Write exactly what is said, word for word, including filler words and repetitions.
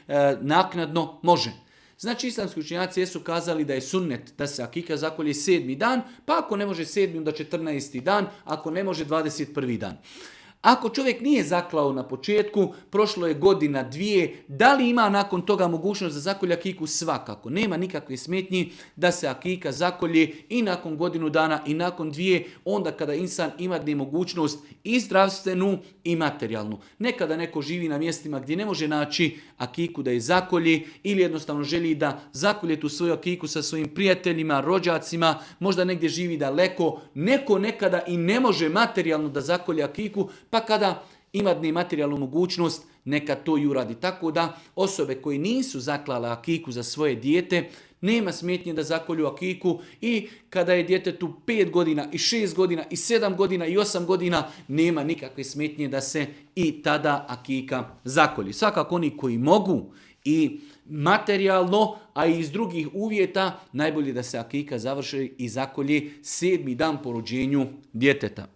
e, naknadno može. Znači islamski učenjaci jesu kazali da je sunnet da se akika zakolje sedmi dan, pa ako ne može sedmi, onda četrnaesti dan, ako ne može dvadeset prvi dan. Ako čovjek nije zaklao na početku, prošlo je godina, dvije, da li ima nakon toga mogućnost da zakolje akiku? Svakako. Nema nikakve smetnji da se akika zakolje i nakon godinu dana i nakon dvije, onda kada insan ima mogućnost i zdravstvenu i materijalnu. Nekada neko živi na mjestima gdje ne može naći akiku da je zakolje ili jednostavno želi da zakolje tu svoju akiku sa svojim prijateljima, rođacima, možda negdje živi daleko, neko nekada i ne može materijalno da zakolje akiku, pa kada ima materijalnu mogućnost, neka to i uradi. Tako da osobe koji nisu zaklale akiku za svoje dijete, nema smetnje da zakolju akiku i kada je djetetu pet godina i šest godina i sedam godina i osam godina, nema nikakve smetnje da se i tada akika zakolji. Svakako oni koji mogu i materijalno, a i iz drugih uvjeta, najbolje da se akika završi i zakolji sedmi dan po rođenju djeteta.